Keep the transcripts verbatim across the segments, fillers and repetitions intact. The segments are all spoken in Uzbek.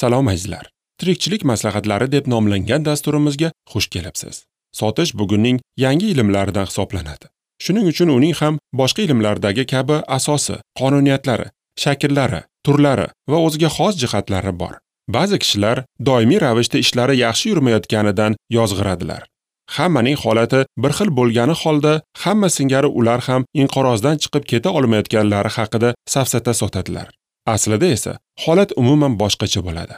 Salom azizlar. Tirikchilik maslahatlari deb nomlangan dasturimizga xush kelibsiz. Sotish bugunning yangi ilmlaridan hisoblanadi. Shuning uchun uning ham boshqa ilmlardagi kabi asosi, qonuniyatlari, shakllari, turlari va o'ziga xos jihatlari bor. Ba'zi kishilar doimiy ravishda ishlari yaxshi yurmayotganidan yozg'iradilar. Hammaning holati bir xil bo'lgani holda hamma singari ular ham inqirozdan chiqib keta olmayotganlari haqida safsata sotadilar. Aslida esa holat umuman boshqacha bo'ladi.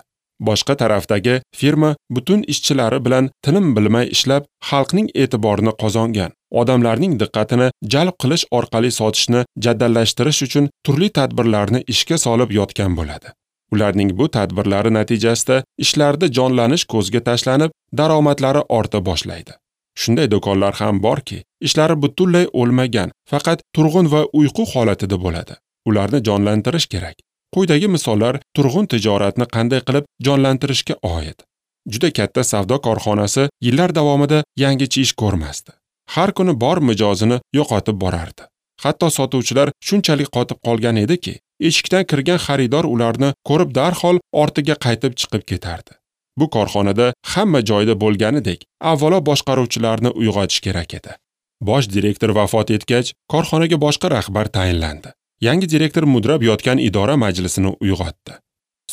Boshqa tarafdagi firma butun ishchilari bilan tinim bilmay ishlab, xalqning e'tiborini qozongan, odamlarning diqqatini jalb qilish orqali sotishni jadallashtirish uchun turli tadbirlarni ishga solib yotgan bo'ladi. Ularning bu tadbirlari natijasida ishlarda jonlanish ko'zga tashlanib, daromadlari orta boshlaydi. Shunday do'konlar ham borki, ishlari butunlay o'lmagan, faqat turg'un va uyqu holatida bo'ladi. Ularni jonlantirish kerak. Quyidagi misollar turg'un tijoratni qanday qilib jonlantirishga oid. Juda katta savdo korxonasi yillar davomida yangicha ish ko'rmasdi. Har kuni bor mijozini yo'qotib borardi. Hatto sotuvchilar shunchalik qotib qolgan ediki, eshikdan kirgan xaridor ularni ko'rib darhol ortiga qaytib chiqib ketardi. Bu korxonada hamma joyda bo'lganidek, avvalo boshqaruvchilarni uyg'otish kerak edi. Bosh direktor vafot etgach, korxonaga boshqa rahbar tayinlandi. Yangi direktor mudrab yotgan idora majlisini uyg'otdi.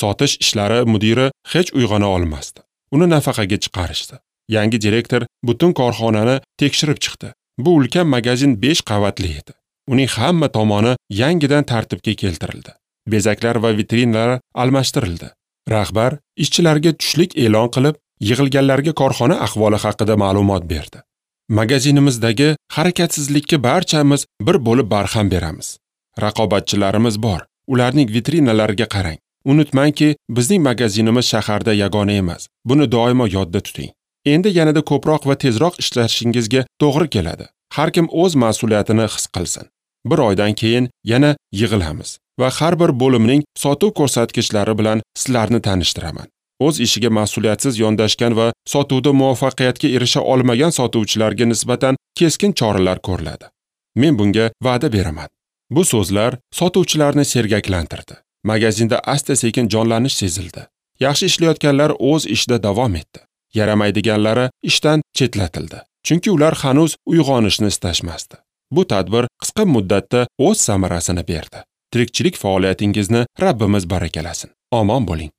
Sotish ishlari mudiri hech uyg'ona olmasdi. Uni nafaqaga chiqarishdi. Yangi direktor butun korxonani tekshirib chiqdi. Bu ulkan magazin besh qavatli edi. Uning hamma tomoni yangidan tartibga keltirildi. Bezaklar va vitrinalar almashtirildi. Rahbar ishchilarga tushlik e'lon qilib, yig'ilganlarga korxona ahvoli haqida ma'lumot berdi. Magazinimizdagi harakatsizlikka barchamiz bir bo'lib barham beramiz. Raqobatchilarimiz bor. Ularning vitrinalariga qarang. Unutmangki, bizning magazinimiz shaharda yagona emas. Buni doimo yodda tuting. Endi yanada ko'proq va tezroq ishlashingizga to'g'ri keladi. Har kim o'z mas'uliyatini his qilsin. Bir oydan keyin yana yig'ilamiz va har bir bo'limning sotuv ko'rsatkichlari bilan sizlarni tanishtiraman. O'z ishiga mas'uliyatsiz yondashgan va sotuvda muvaffaqiyatga erisha olmagan sotuvchilarga nisbatan keskin choralar ko'riladi. Men bunga va'da beraman. Bu so'zlar sotuvchilarni sergaklantirdi. Magazinda asta-sekin jonlanish sezildi. Yaxshi ishlayotganlar o'z ishida davom etdi. Yaramaydiganlari ishdan chetlatildi. Chunki ular hanuz uyg'onishni istashmasdi. Bu tadbir qisqa muddatda o'z samarasini berdi. Tirikchilik faoliyatingizni Rabbimiz barakalasin. Omon bo'ling.